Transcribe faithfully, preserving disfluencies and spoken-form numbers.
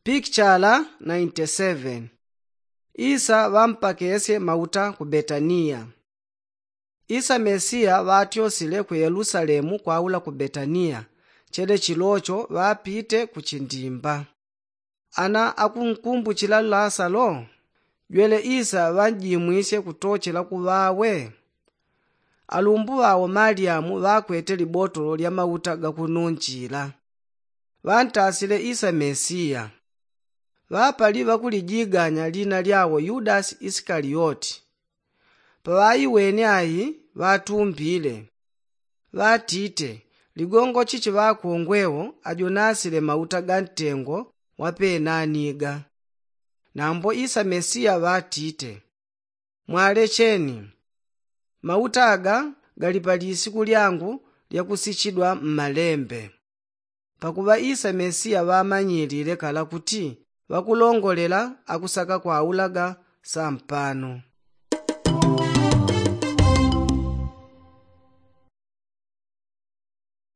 Pikichala ninety seven. Isa ŵampakesye mauta ku betaniya. Isa mesiya ŵatyosile ku yelusalemu kwaula ku betaniya, chele chilocho ŵapite ku chindimba. Ana akunkumbuchila lasalo jwele isa ŵanjimwisye kutochela ku ŵawe. Alumbu ŵawo malyamu ŵakwete libotolo lya mauta gakununchila. Ŵantasile isa mesiya. Ŵapali ŵakulijiganya lina lyawo yudasi isikaliyoti. Paŵaiwene ai ŵatumbile, ŵatite, ligongo chichi ŵakongwewo ajo nasile mauta ga ntengo wa penaniga? Nambo isa mesiya ŵatite, mwalecheni. Mauta aga gali pa lisiku lyangu lyakusichidwa mmalembe. Pakuŵa isa mesiya ŵamanyilile kala kuti ŵakulongolela akusaka kwaulaga sampano.